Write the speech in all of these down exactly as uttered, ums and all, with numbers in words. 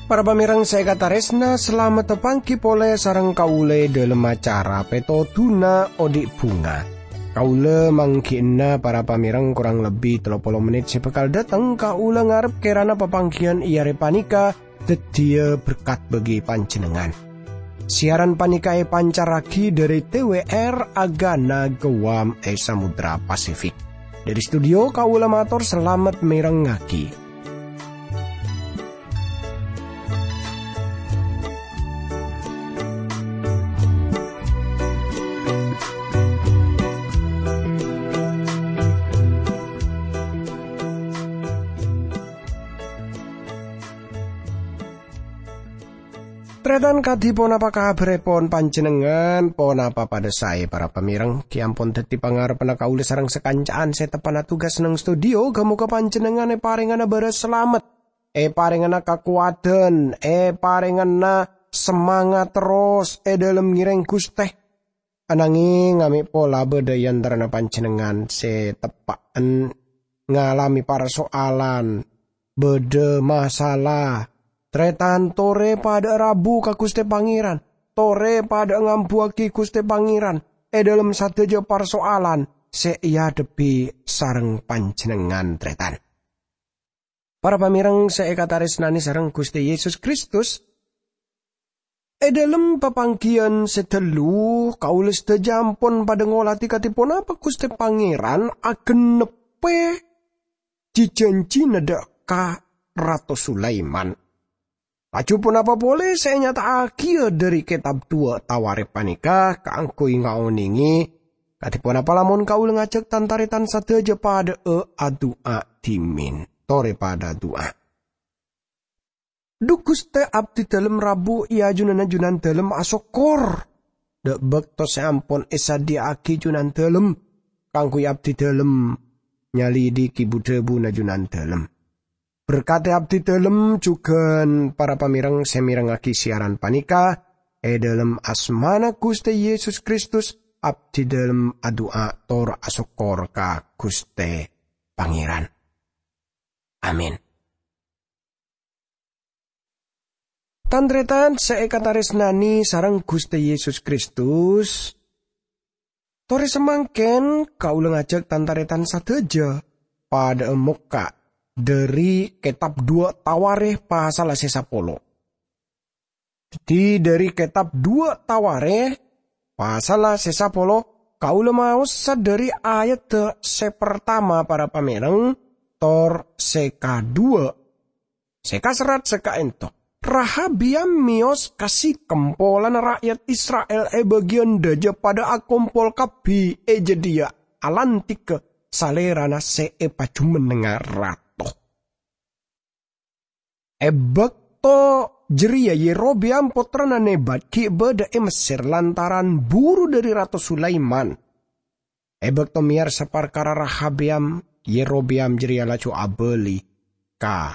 Para pamèrèng sè èkatarèsna, salamet panggi polè sareng kaulâ è dhâlem acara Pètodhuna Odi' Bhunga. Kaulâ mangghi'na para pamèrèng korang lebbi tello polo mennit sè bhâkal dâteng. Kaulâ ngarep kèrana papangghiyân è arè panèka dhâddhiyâ berkat bagi panjhennengngan. Siaran panèka èpancarraghi dhâri T W R Agana Guam è Samudra Pasifik. Dhâri studio, kaulâ mator salamet mèrengngaghi. Tarètan, kadhi ponapa kabhârèpon panjhennengngan? Ponapa padâ saè, para pamèrèng? Ghi' ampon dhâddhi pangarebbhânna kaulâ sareng sakanca'an sè teppa'na tugas neng studio. Ghâ-mogâ panjhennengngan èparèngana bârâs salamet, èparèngana kakowadhân, èparèngana samangat terros è dhâlem ngèrèng Ghustè. Ananghing amè' pola bâdâ è antarana panjhennengngan sè teppa'en ngalamè parsoalan, bâdâ masalah. Tarètan, torè padâ'â rabu ka Ghustè Pangèran. Torè padâ'â ngambuwâghi Ghustè Pangèran è dhâlem sadhâjâ parsoalan sè èadhebbhi sareng panjhennengngan, tarètan. Para pamèrèng sè èkatarèsnanè sareng Ghustè Yesus Kristus, è dhâlem papangghiyân sè ghâllu, kaulâ sadhâjâ ampon padâ ngolatè kadhi ponapa Ghustè Pangèran agennebbhi ji-janjina dâ' ka Rato Sulaiman. Laju ponapa polè sè ènyata'aghiyâ dhâri kètab duwâ' Tawarikh panèka kaangghuy ngaonèngè kadhi ponapa lamon kaulâ ngajhâk tan-tarètan sadhâjâ padâ'â adu'a dhimèn? Torè padâ adu'a. Dhu Ghustè, abdhidhâlem rabu è ajunanna Junandhâlem asokkor, dâ' bâkto sè ampon èsadhiyâ'aghi Junandhâlem kaangghuy abdhidhâlem nyalèdhighi bu-dhâbuna Junandhâlem. Berkadhi abdhidhâlem jhughân para pamèrèng sè mèrengngaghi siaran panèka, è dhâlem asmana Ghustè Yesus Kristus, abdhidhâlem adu'a tor asokkor ka Ghustè Pangèran. Amin. Tan-tarètan sè èkatarèsnanè sareng Ghustè Yesus Kristus, torè samangkèn kaulâ ngajhâk tan-tarètan sadhâjâ padâ'â mokka' dhâri kètab duwâ' Tawarikh pasalla sè sapolo. Dhâddhi, dhâri kètab duwâ' Tawarikh, pasalla sè sapolo, kaulâ maosa dhâri ayadda sè partama, para pamèrèng, tor sè kaduwâ'. Sè kaserrat sè ka'ènto, Rahabiyam mèyos ka Sikhem polana ra'yat Isra'il è bâgiyân dâjâ padâ akompol kabbhi è jâdiyâ alantika salèrana sè èpajhumennengnga rato. È bâkto jârèya Yerobeam pottrana Nebat ghi' bâdâ è Messèr lantaran buru dhâri Rato Sulaiman. È bâkto mèyarsa parkara Rahabiyam, Yerobeam jârèya laju abâli ka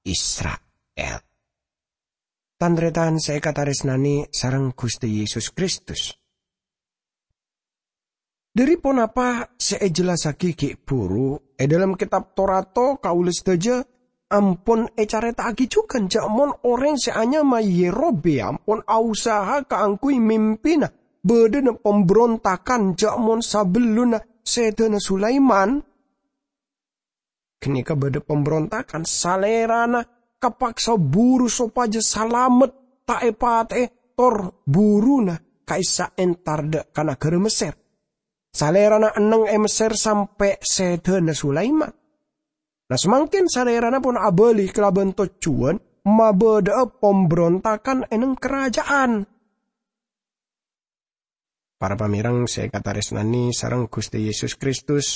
Isra'il. Tan-tarètan sè èkatarèsnanè sareng Ghustè Yesus Kristus. Dhâri ponapa sè èjellassaghi ghi' buru è dhâlem Kètab Torato, kaulâ sadhâjâ ampon ècarèta'aghi jhughân jâ' mon orèng sè anyama Yerobeam pon ausaha kaangghuy mimpina bâdâna pambrontagan jâ' mon sabellunna sèdhâna Sulaiman. Ghânèka bâdâ pambrontagan, salèrana kapaksa buru sopajâ salamet ta' èpatè'è tor buruna ka'issa' entar dâ' ka naghârâ Messèr. Salèrana enneng è Messèr sampè' sèdhâna Sulaiman. Nah, samangkèn salèrana pon abâli kalabân tojjhuwân mabâdâ'â pambrontagan è neng karaja'an. Para pamèrèng sè èkatarèsnanè sareng Ghustè Yesus Kristus,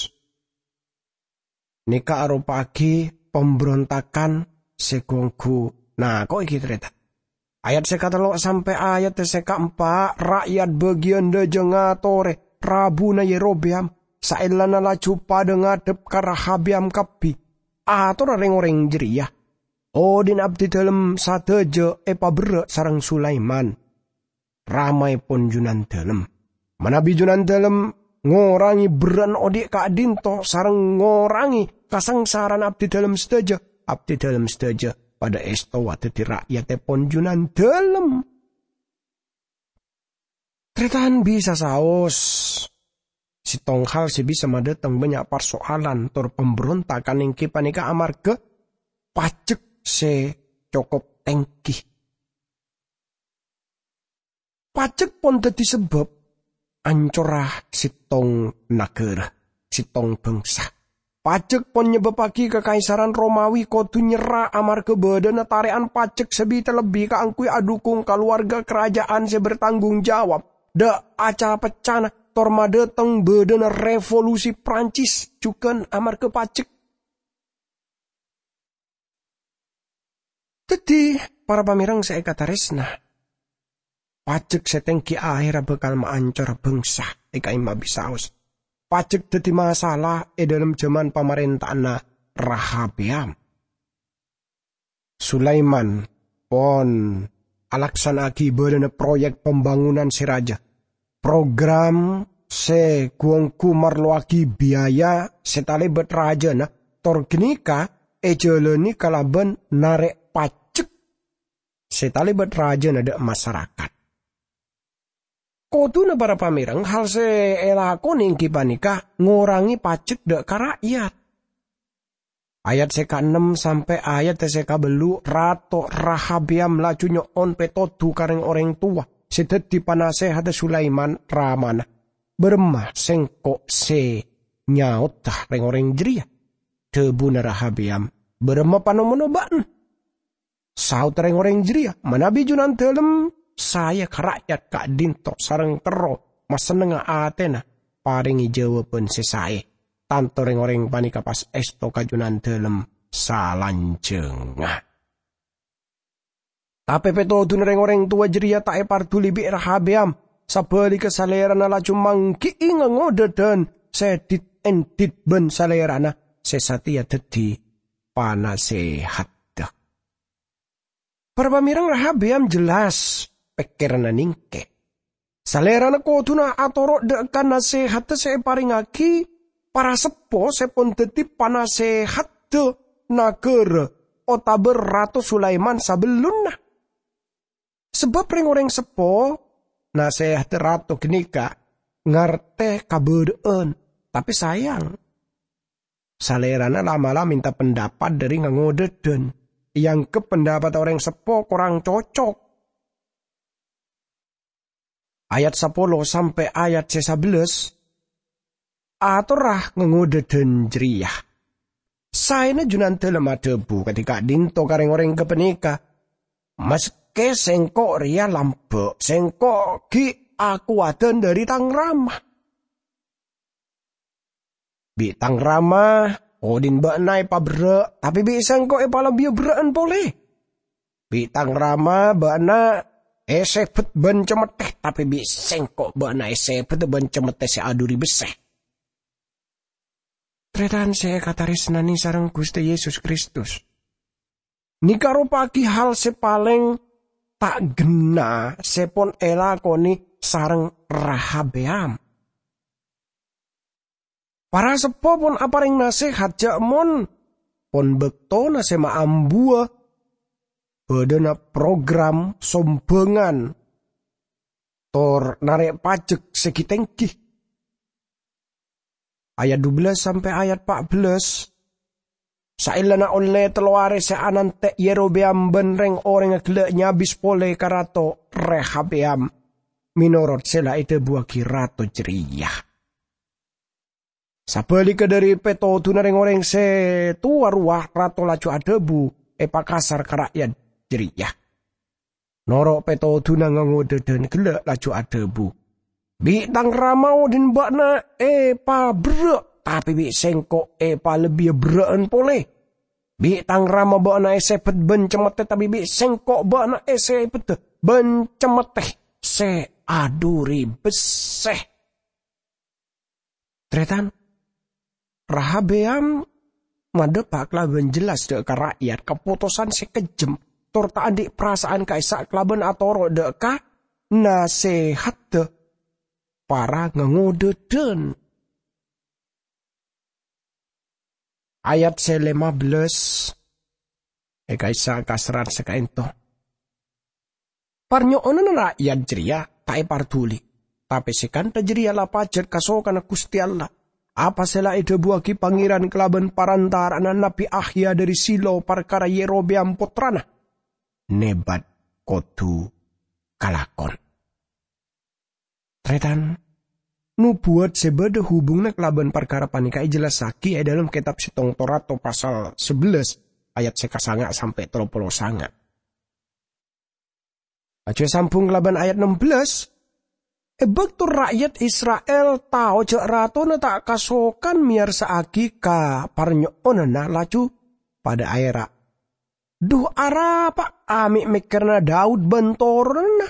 nèka aropa'aghi pambrontagan sè ghu-ongghu nako'è ghi' tarètan. Ayat sè katello' sampè' ayat sè kaempa', ra'yat bâgiyân dâjâ ngatorè rabuna Yerobeam, saellana laju padâ ngadhep ka Rahabeyam kabbhi, atorra rèng-orèng jârèya, Odhi'na abdidhâlem sadhâjâ èpaberrâ' sareng Sulaiman, ramaèpon Junandhâlem. Manabi Junandhâlem ngorangè berrâ'na odhi' ka'dhinto sareng ngorangè kasangsarana abdidhâlem sadhâjâ, abdidhâlem sadhâjâ padhâ èstowa dhâddhi ra'yattèpon Junandhâlem. Tarètan bisa saos, sèttong hal sè bisa madhâteng bânnya' parsoalan tor pambrontakan èngghi panèka amarghâ pajek sè cokop tèngghi. Pajek pon dhâddhi sabâb ancorra sèttong naghârâ, sèttong bhângsa. Pajek pon nyebâbbhâghi Kakaisaran Romawi kodhu nyerra amarghâ bâdâna tarè'an pajek sè bi-, lebbi kaangghuy adhukung kalowarga karaja'an sè bertanggung jawab. Dâ' ca-peccana tor madhâteng bâdâna revolusi Prancis jhughân amarghâ pajek. Dhâddhi, para pamèreng sè èkatarèsna, pajek sè tèngghi ahèrra bhâkal maancora bhângsa, è ka'imma bisaos. Pajek dhâddhi masalah è dhâlem jhâman pamarènta'anna Rahabeyam. Sulaiman pon alaksana'aghi bâlâna proyek pambangunan sè rajâ. Program sè gu-ongghu marlowaghi biaya sè talèbât rajâna, tor ghânèka èjhâlâni kalabân narè' pajek sè talèbât rajâna dâ' masarakat. Kodhuna para pamèreng, hal sè èlakonè èngghi panèka ngorangè pajek dâ' ka ra'yat. Ayat sè kaennem sampè' ayat sè kabellu', Rato Rahabeyam laju nyo'on pètodhu ka rèng-orèng towa sè dhâddhi panasèhadda Sulaiman, ramana, "Bârâmma sèngko' sè nyaodhâ rèng-orèng jârèya?" Dhâbuna Rahabeyam, "Bârâmma panomona bâ'na?" Saodda rèng-orèng jârèya, "Manabi Junandhâlem saè ka ra'yat ka'dhinto sareng terro masennengnga atèna, parèngè jâwâbhân sè saè. Tanto rèng-orèng panèka pas èsto ka Junandhâlem salanjhângnga." Tapè pètodhuna rèng-orèng towa jârèya ta' èparduli bi' Rahabeyam. Sabhâligghâ, salèrana laju mangghi'i ngangodâdhân sè dit-endit bân salèrana sè satèya dhâddhi panasèhadda. Para pamèreng, Rahabeyam jelas pèkkèranna nèngkè. Salèrana kodhuna atoro' dâ' ka nasèhadda sè èparèngaghi para seppo sè pon dhâddhi panasèhadda naghârâ otabâ Rato Sulaiman sabellunna. Sabâb rèng-orèng seppo, nasèhadda rato ghânèka ngartè kabâdâ'ân, tapè sayang, salèrana la'-mala' mènta pendapat dâri ngangodâdhân, èangghep pendapat orèng seppo korang cocok. Ayat sapolo sampè' ayat sè sabellâs, atorra ngangodâdhân jârèya. Saèna Junandhâlem adhâbu kadhi ka'dhinto ka rèng-orèng ghâpanèka, "Maskè sèngko' rèya lambâ', sèngko' ghi' akowadhân dâri tang rama. Bi' tang rama, odhi'na bâ'na èpaberrâ', tapè bi' sèngko' èpalebbiya berrâ'ân polè. Bi' tang rama bâ'na èsèbât bân cemmettè, tapè bi' sèngko' bâ'na èsèbâdhâ bân cemmettè sè adhuri bessè." Tarètan sè èkatarèsnanè sareng Ghustè Yesus Kristus, nèka ropa'aghi hal sè palèng ta' ghenna sè pon èlakonè sareng Rahabeyam. Para seppo pon aparèng nasèhat jhâ' mon pon bâktona sè maambuwâ bâdâna program sombhângan tor narè' pajek sè ghi-tèngghi. Ayat dubellâs sampè' ayat pa'bellâs, saellana ollè tello arè sè anantè' Yerobeam bân rèng-orèngnga ghellâ' nyabis polè ka Rato Rehabeyam mènorot sè la èdhâbuwâghi rato jârèya. Sabhâligghâ dâri pètodhuna rèng-orèng sè towa rowa, rato laju adhâbu èpakasar ka ra'yat jârèya. Noro' pètodhuna ngangodâdhân ghellâ' laju adhâbu, "Bi' tang rama odhi'na bâ'na èpaberrâ', tapè bi' sèngko' èpalebbiya berrâ'ân polè. Bi' tang rama bâ'na èsèbât bân cemmettè, tapè bi' sèngko' bâ'na èsèbâdhâ bân cemmettè sè adhuri bessè." Tarètan, Rahabeyam madhâpa' kalabân jelas dâ' ka ra'yat kapotosan sè kejjhem, tor ta' andi' parasa'an ka'issa' kalabân atoro' dâ' ka nasèhadda para ngangodâdhân. Ayat sè lèma bellâs è ka'issa' kaserrat sè ka'ènto. Parnyo'onanna ra'yat jârèya ta' èparduli, tapè sè kantha jârèya la pajhât kasokanna Ghustè Allah. Apa sè la èdhâbuwaghi Pangèran kalabân parantara'anna Nabbhi Akhya dâri Silo parkara Yerobeam pottrana Nebat kodhu kalakon. Tarètan, nobuwat sè bâdâ hubunganna kalabân parkara panèka èjellassaghi è dâlem Kètab Sèttong Torat pasal sabellâs ayat sè kasanga' sampè' tello polo sanga'. Laju èsambhung kalabân ayat ennem bellâs, "È bâkto ra'yat Isra'il tao jâ' ratona ta' kasokan meyarsa'aghi ka parnyo'onanna, laju padâ aèra', 'Dhu, arapa amè' mèkkèrana Daud bân toronanna?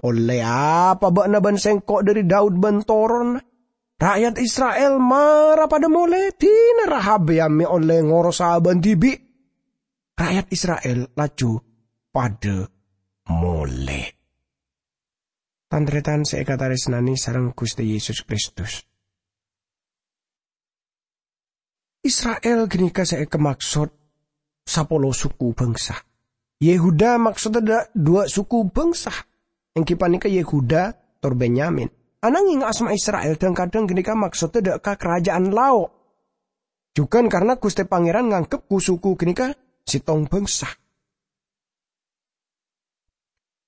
Ollè apa bâ'na bân sèngko' dâri Daud bân toronanna? Ra'yat Isra'il mara padâ molè, dinah Rehabeam mè' ollè ngorosa abâ'na dhibi'.' Ra'yat Isra'il laju padâ molè." Tan-tarètan sè èkatarèsnanè sareng Ghustè Yesus Kristus, Isra'il ghânèka sè èkamaksod sapolo suku bhângsa. Yehuda maksoddhâ dâ' duwâ' suku bhângsa, èngghi panèka Yehuda tor Benyamin. Ananghing asma Isra'il dhâng-kadhâng ghânèka maksoddhâ dâ' ka karaja'an lao'. Jhughân karna Ghustè Pangèran nganggep ku-suku ghânèka sèttong bhângsa.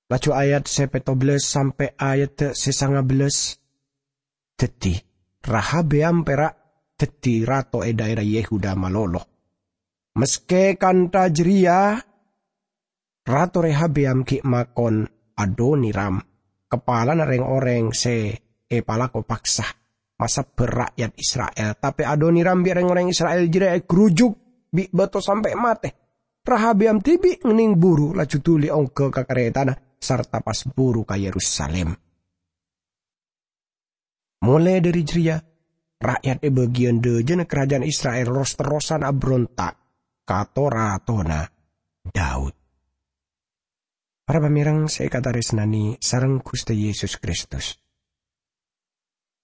Laju ayat sè pètto bellâs sampè' ayat sè sanga bellâs. Dhâddhi, Rehabeam pèra' dhâddhi rato è dhaèra Yehuda malolo. Maskè kantha jârèya, Rato Rehabeam ghi' makon Adoniram, kapalana rèng-orèng sè èpalako paksa, masebbhâr ra'yat Isra'il. Tapè Adoniram bi' rèng-orèng Isra'il jârèya ègarujuk bi' bâto sampè' matè. Rehabeam dhibi' ngennèng buru, laju dhuli ongghâ ka karètana, sarta pas buru ka Yerusalim. Molè dhâri jârèya, ra'yat è bâgiyân dhâjâna karaja'an Isra'il ros-terrosan abronta' ka to-ratona Daud. Para pamèreng sè èkatarèsnanè sareng Ghustè Yesus Kristus,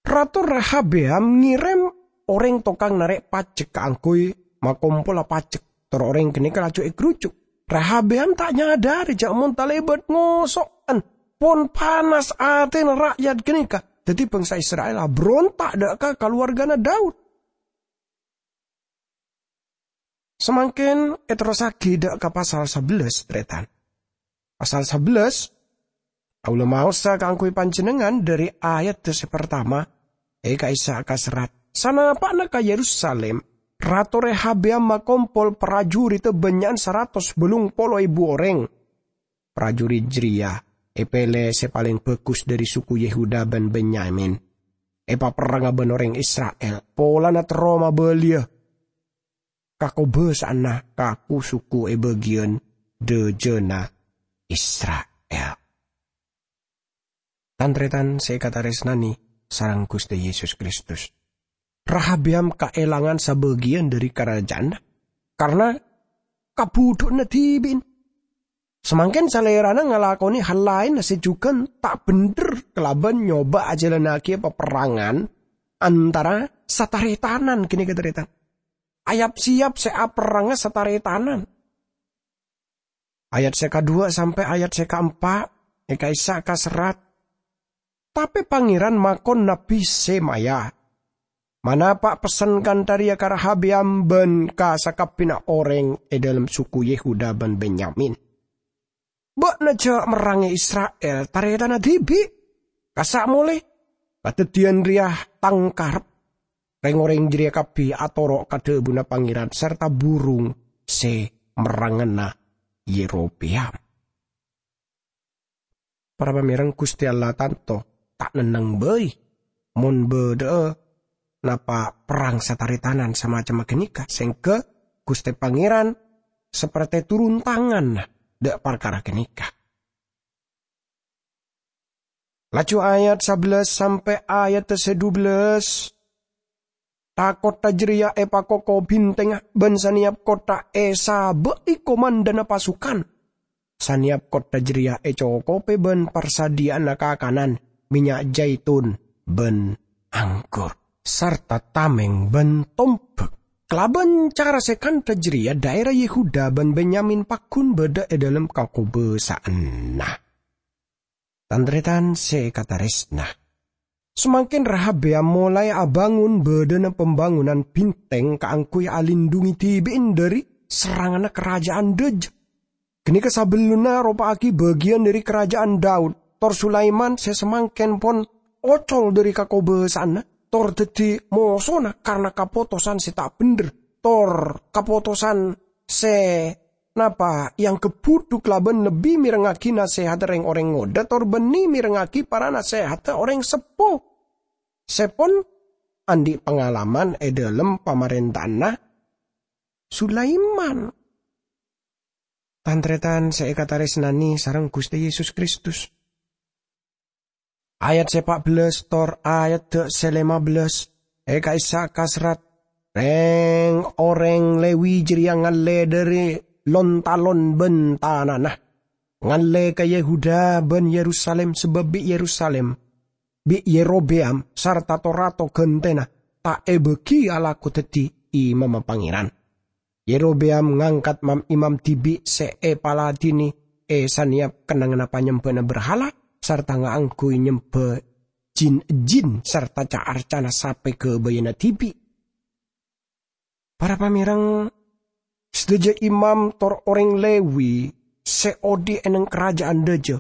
Rato Rehabeam ngèrèm orèng tokang narè' pajek kaangghuy makompola pajek. Tor orèng ghânèka laju ègarujuk. Rehabeam ta' nyadhâri jâ' mon talèbât ngoso'an, pon panas atèna ra'yat ghânèka. Dhâddhi bhângsa Isra'il abronta' dâ' ka kalowargana Daud. Samangkèn èterrossaghi dâ' ka pasal sabellâs, tarètan. Pasal sabellâs, kaulâ maosa kaangghuy panjhennengngan dhâri ayat sè partama, è ka'issa' kaserrat, "Sanapa'na ka Yerusalim, Rato Rehabeam makompol parajuritta bânnya'an saratos bâllung polo èbu orèng. Parajuri jârèya èpèlè sè palèng bhâghus dhâri suku Yehuda bân Benyamin, èpaperranga bân orèng Isra'il, polana terro mabâliyâ kakobâsa'anna ka ku-suku è bâgiyân dhâjâna Isra'il." Tan-tarètan sè èkatarèsnanè sareng Ghustè Yesus Kristus, Rehabeam kaèlangan sabâgiyân dhâri karaja'anna karna kabudhu'na dhibi'na. Samangkèn salèrana ngalakonè hal laènna sè jhughân ta' bhendher kalabân nyoba ajhâlannaghi paperrangan antara sataretanan ghânèka tarètan. Ayap-sèyap sè aperranga sataretanan. Ayat sè kaduwâ' sampè' ayat sè kaempa' è ka'issa' kaserrat, "Tapè Pangèran makon Nabbhi Semaya, manapa' pessen kantha rèya ka Rehabeam bân ka sakabbhiyânna orèng è dâlem suku Yehuda bân Benyamin. Bâ'na jhâ' merrangè Isra'il, tarètanna dhibi'. Kassa' molè. Kadhâddhiyân rèya tang karep." Rèng-orèng jârèya kabbhi atoro' ka dhâbuna Pangèran sarta burung sè merrangana Yerobeam. Para pamèreng, Ghustè Allah tanto ta' nenneng bhâi mon bâdâ'â napa perrang sataretanan samacemma ghânèka, sèngghâ Ghustè Pangèran saperte turun tangan dâ' parkara ghânèka. Laju ayat sabellâs sampè' ayat sè dubellâs. Ka kottha jareya èpakoko bhintèngnga, bân sanèyap kottha èsabâ'i komandhâna pasukan. Sanèyap kottha jareya ècokobhi bân parsadhiyâ'ânna kakanan, mènnya' jaitun, bân anggur, sarta tamèng bân tombhâk. Kalabân cara sè kantha jareya, dhaèra Yehuda bân Benyamin pagghun bâdâ è dhâlem kakobâsa'anna. Tan-tarètan sè èkatarèsna, samangkèn Rehabeyam molaè abângon bâdâna pambângonan bhintèng kaangghuy alindhungi dhibi'na dhâri serranganna karaja'an dhâjâ. Ghânèka sabellunna aropa'aghi bâgiyân dhâri karaja'an Daud, tor Sulaiman sè samangkèn pon ocol dhâri kakobâsa'anna, tor dhâddhi mosona karana kapotosan sè ta' bhendher, tor kapotosan sè napa èangghep budhu kalabân lebbi mèrengngaghi nasèhatta rèng-orèng ngodâ tor bânnè mèrengngaghi para nasèhatta orèng seppo sè pon andi' pangalaman è dhâlem pamarènta'anna Sulaiman. Tan-tarètan sè èkatarèsnanè sareng Ghustè Yesus Kristus. Ayat sè pa' bellâs tor ayadda sè lèma bellâs, è ka'issa' kaserrat, "Rèng-orèng Lewi jârèya ngallè dhâri lon-talon bân tanana, ngallè ka Yehuda bân Yerusalim, sabâb bi' Yerusalim, bi' Yerobeam sarta to-rato ghântèna ta' èbâghi alako dhâddhi imamma Pangèran." Yerobeam ngangkat mam-imam dhibi' sè èpaladhinè è sanèyap kennengnganna panyembhâna berhala sarta ngaangghuy nyembhâ jin-ejjin sarta ca-arcana sapè ghâbâyânna dhibi'. Para pamèreng, sadhâjâ imam tor orèng Lewi sè odi' è neng karaja'an dhâjâ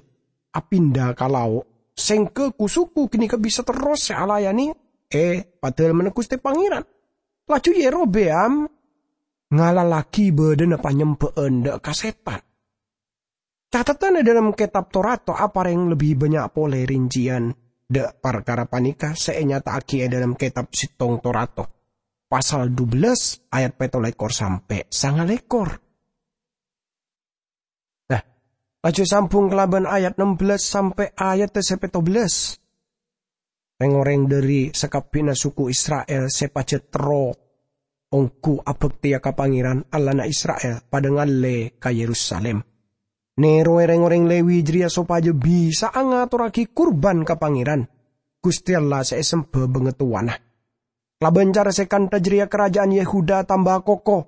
apinda ka lao', sèngghâ ku-suku ghânèka bisa terros sè alayanè è Padalemmanna Ghustè Pangèran. Laju Yerobeam ngalallaghi bâdâna panyembhâ'ân dâ' ka sètan. Cateddhân è dhâlem Kètab To-rato aparèng lebbi bânnya' polè rincèyan dâ' parkara panèka sè ènyata'aghi è dhâlem Kètab Sèttong To-rato, pasal dubellâs ayat pètto lèkor sampè' sanga lèkor. Nah, laju sambung kalabân ayat nem bellâs sampè' ayat sè pètto bellâs. Rèng-orèng dhâri sakabbhiyânna suku Isra'il sè pajhât terro ongghu abhâktèya ka Pangèran, Allahna Isra'il, padâ ngallè ka Yerusalim. Nèrowè rèng-orèng Lewi jârèya sopajâ bisa'a ngatorraghi kurban ka Pangèran, Ghustè Allah sè èsemba bângatowana. Kalabân cara sè kantha jârèya karaja'an Yehuda tamba koko.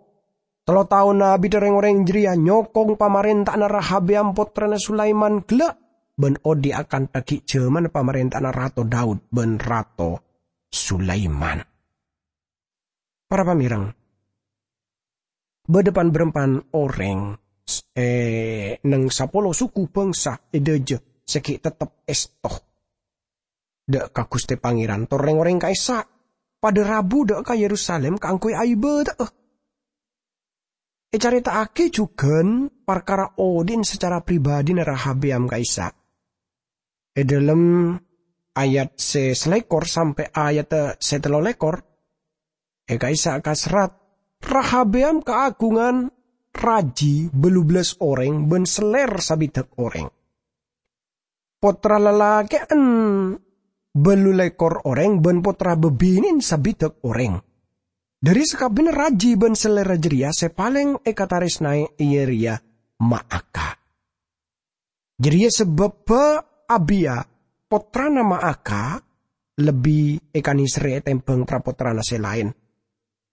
Tello taon abidda rèng-orèng jârèya nyokong pamarènta'anna Rehabeyam pottrana Sulaiman ghellâ' bân odi' akantha ghi' jhâmanna pamarènta'anna Rato Daud bân Rato Sulaiman. Para pamèreng, bâdâ pan-bârâmpan orèng s-, è neng sapolo suku bhângsa è dhâjâ sè ghi' tettep èsto dâ' ka Ghustè Pangèran tor rèng-orèng ka'issa' padâ rabu dâ' ka Yerusalim kaangghuy aibâdâ'â. Ècarèta'aghi jhughân parkara odi'na sacara pribadhina Rehabeyam ka'issa'. È dhâlem ayat sè salèkor sampè' ayat sè tello lèkor, è ka'issa' kaserrat, Rehabeyam kaagungan raji bâllu bellâs orèng bân sellèr sabidhâk orèng. Pottra lalakè'an bâllu lèkor orèng bân pottra bâbinè'an sabidhâk orèng. Dhâri sakabbhiyânna raji bân sellèrra jârèya sè palèng èkatarèsnaè iyâ rèya Maakha. Jârèya sabâbbhâ Abiya, pottrana Maakha, lebbi èkanèserrè ètèmbhâng tra-pottrana sè laèn,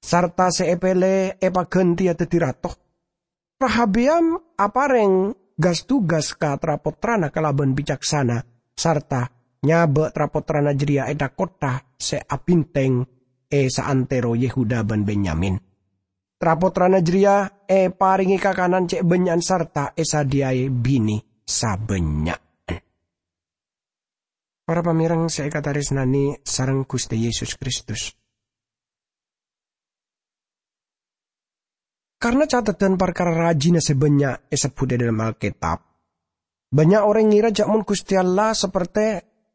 sarta sè èpèlè èpaghântèya dhâddhi rato. Rehabeyam aparèng gas-tugas ka tra-pottrana kalabân bicaksana, sarta nyabâ' tra-pottrana jârèya è tha-kottha sè abhintèng è saantèro Yehuda bân Benyamin. Tra-pottrana jârèya èparèngè kakanan cè' bânnya'an sarta èsadhiyâè binè sabânnya'an. Para pamèreng sè èkatarèsnanè sareng Ghustè Yesus Kristus. Karna cateddhân parkara rajina sè bânnya' èsebbhut è dhâlem Alkètab, bânnya' orèng ngèra jâ' mon Ghustè Allah saperte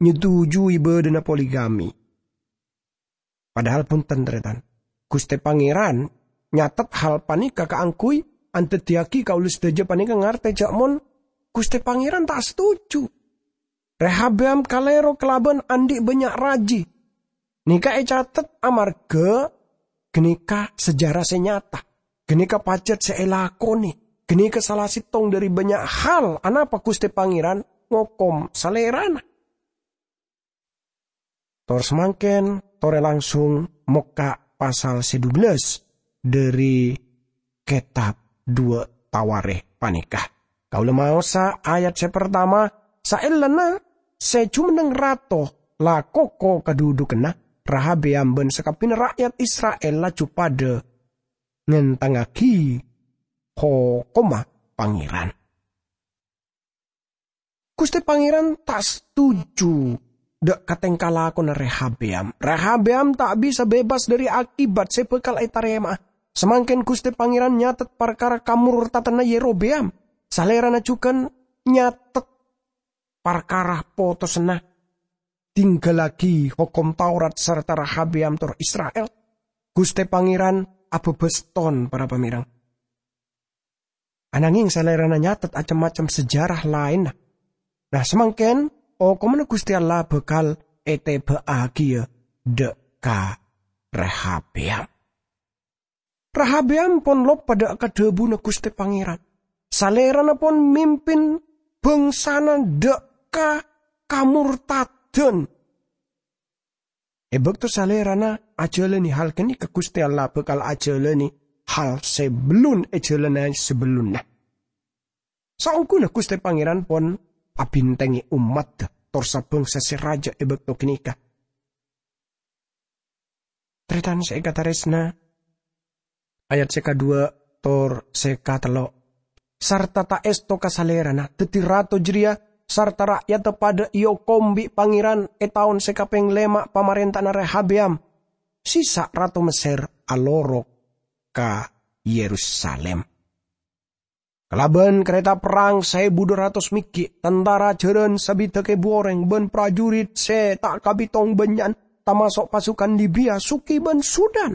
nyetuju ibâdâna poligami. Padahal bhunten, tarètan, Ghustè Pangèran nyatet hal panèka kaangghuy andaddhiyâghi kaulâ sadhâjâ panèka ngartè jâ' mon Ghustè Pangèran ta' setuju. Rehabeyam kalèro kalabân andi' bânnya' raji. Nèka ècatet amarghâ Ghânèka sejarah sè nyata. Ghânèka pajhât sè èlakonè. Ghânèka sala sèttong dhâri bânnya' hal anapa Ghustè Pangèran ngokom salèrana. Tor samangkèn, torè langsung mokka' pasal sè dubellâs dhâri kètab duwâ' Tawarikh panèka. Kaulâ maosa ayat sè partama, saellana sè jumenneng rato la koko kadhudhukanna, Rehabeyam bân sakabbhiyânna ra'yat Isra'il laju padhâ ngèntangngaghi hokomma Pangèran. Ghustè Pangèran ta' setuju dhâ' ka tèngka lakona Rehabeyam. Rehabeyam ta' bisa bebas dhâri akibat sè bhâkal ètarèma'a. Samangkèn Ghustè Pangèran nyatet parkara kamortadhânna Yerobeyam. Salèrana jhughân nyatet parkara potosanna tingghâllaghi Hokom Taurat sarta Rehabeyam tor Isra'il. Ghustè Pangèran abâbâs ton, para pamèreng. Anangèng salèrana nyatet cem-macem sejarah laènna. Nah, samangkèn, okomanna Ghustè Allah bhâkal ètèbâ'âghiyâ dhâ' ka Rehabeyam. Rehabeyam pon loppa dhâ' ka dhâbuna Ghustè Pangèran. Salèrana pon mimpin bhângsana dhâ' ka kamortadhân. È bâkto salèrana ajhâlânè hal ghânèka, Ghustè Allah bhâkal ajhâlânè hal sè bellun èjhâlâna sabellunna. Saongghuna Ghustè Pangèran pon abhintèngè ommaddhâ tor sabhângsa sè rajâ è bâkto ghânèka. Tarètan sè èkatarèsna, ayat sè kadhuwâ' tor sè katello', sarta ta' èsto ka salèrana. Dhâddhi rato jârèya sarta ra'yadda padhâ èokom bi' Pangèran è taon sè kapèng lèma' pamarènta'anna Rehabeyam, Sisak rato Messèr alorok ka Yerusalim. Kalabân karèta perrang saèbu dua ratos meggi', tantara jhârân sabidhâk èbu orèng, bân prajurit sè ta' kabitong bânnya'an, tamaso' pasukan Libia, Suki, bân Sudan.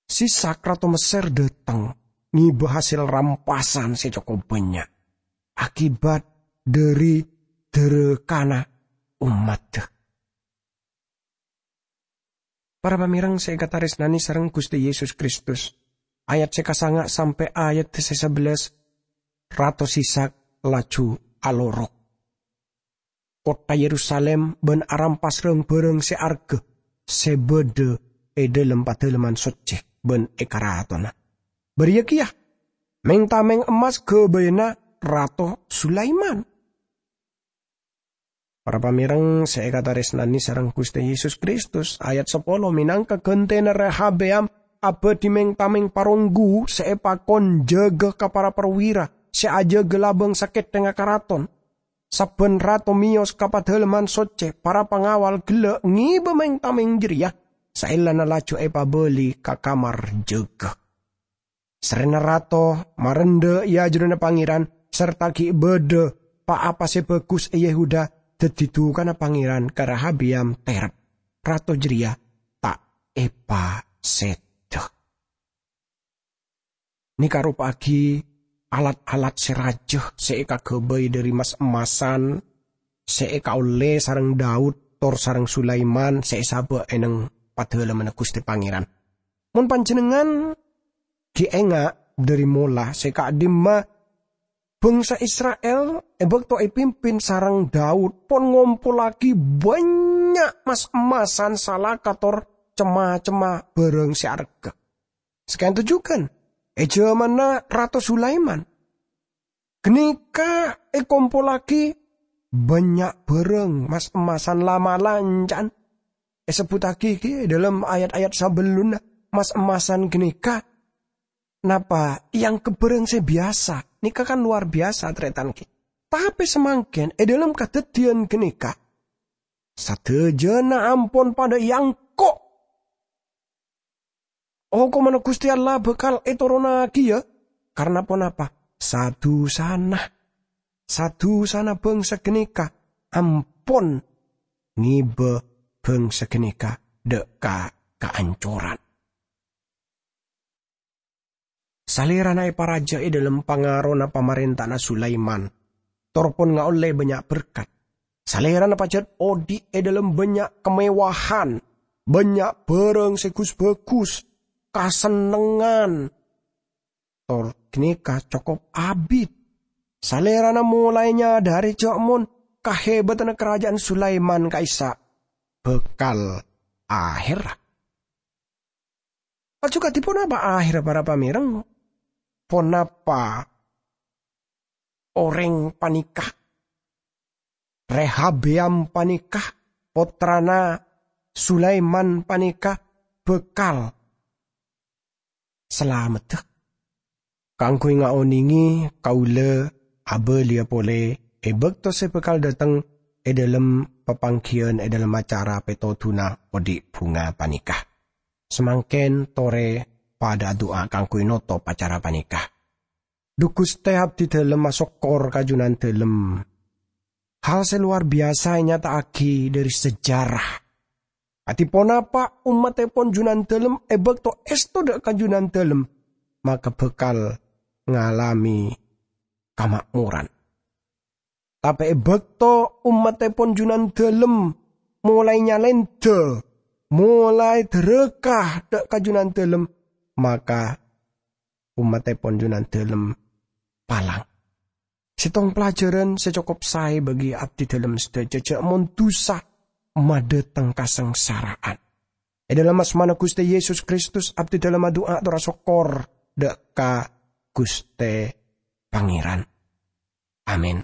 Sisak rato Messèr dhâteng ngibâ hasèl rampasan sè cokop bânnya' akibat dhâri dhârâkana ommaddhâ. Para pamèreng sè èkatarèsnanè sareng Ghustè Yesus Kristus, ayat sè kasanga' sampè' ayat sè sabellâs, Rato Sisak laju alorok. Kottha Yerusalim bân arampas rang-bhârâng sè arghâ sè bâdâ è dhâlem Padâlemman Soccè bân è karatonna. Bâriyâ kèya mèng-tamèng emmas ghâbâyânna Rato Sulaiman. Para pamèreng sè èkatarèsnanè sareng Ghustè Yesus Kristus, ayat sapolo, mènangka ghântèna Rehabeyam abâdhi mèng-tamèng paronggu sè èpakon jâgâ ka para parwira sè ajâgâ labâng sakèthèngnga karaton. Sabbhân rato mèyos ka Padâlemman Soccè, para pangawal ghellâ' ngibâ mèng-tamèng jârèya, saellana laju èpabâli ka kamar jâgâ. Sarrèna rato marendha è ajunanna Pangèran, sarta ghi' bâdâ pa-apa sè bhâghus è Yehuda, dhâddhi dhukana Pangèran ka Rehabeyam terrep. Rato jârèya ta' èpasèdhâ. Nèka aropa'aghi alat-alat sè rajâ sè èkaghâbây dhâri mas-emmasan sè èkaollè sareng Daud tor sareng Sulaiman sè èsabâ' è neng Padâlemmanna Ghustè Pangèran. Mon panjhennengngan ghi' enga' dhâri mola sè ka'dimma bhângsa Isra'il è bâkto èpimpin sareng Daud pon ngompollaghi bânnya' mas-emmasan salaka tor cem-macemma bhârâng sè arghâ. Saka'dinto jhughân è jhâmanna Rato Sulaiman. Ghânèka èkompollaghi bânnya' bhârâng mas-emmasan la-malanca'an. Èsebbhuttaghi ghi è dhâlem ayat-ayat sabellunna, mas-emmasan ghânèka napa èangghep bhârâng sè biyasa. Nèka kan lowar biyasa, tarètan ghi. Tapè samangkèn è dhâlem kadhâddhiyân ghânèka, sadhâjâna ampon padhâ èangko'. Okomanna Ghustè Allah bhâkal ètoronnaghiyâ. Karna ponapa? Sa-dusana. Sa-dusana bhângsa ghânèka ampon ngibâ bhângsa ghânèka dhâ' ka kaancoran. Salèrana èparajâ è dhâlem pangarona pamarènta'anna Sulaiman, tor pon ngaollè bânnya' berkat. Salèrana pajhât odi' è dhâlem bânnya' kamewahan. Bannya' bhârâng sè gus-bhâgus, kasennengngan, tor ghânèka cokop abit. Salèrana molaè nyadhâri jhâ' mon kahèbhâdhânna karaja'an Sulaiman ka'issa' bhâkal ahèrra. Laju kadhi ponapa ahèrra para pamèreng? Ponapa orèng panèka, Rehabeam panèka, pottrana Sulaiman panèka, bhâkal salameddhâ? Kaangghuy ngaonèngè kaulâ abâliyâ polè è bâkto sè bhâkal dhâteng è dhâlem papangghiyân è dhâlem acara pètodhuna odi' bhunga panèka. Samangkèn torè padhâ adu'a kaangghuy notop acara panèka. Dhu Ghustè, abdhi dhâlem asokkor ka Junandhâlem. Hal sè lowar biyasa ènyata'aghi dhâri sejarah. Kadhi ponapa ommattèpon Junandhâlem è bâkto èsto dhâ' ka Junandhâlem, maka bhâkal ngalamè kamakmoran. Tapè è bâkto ommattèpon Junandhâlem molaè nyalèndhâ, molaè dhârâka dhâ' ka Junandhâlem, maka ommattèpon Junandhâlem palang. Sèttong pelajaran sè cokop saè bagi abdhi dhâlem sadhâjâ, jhâ' mon dhusa madhâteng kasangsara'an. È dhâlem asmana Ghustè Yesus Kristus, abdhi dhâlem adu'a tor asokkor dhâ' ka Ghustè Pangèran. Amin.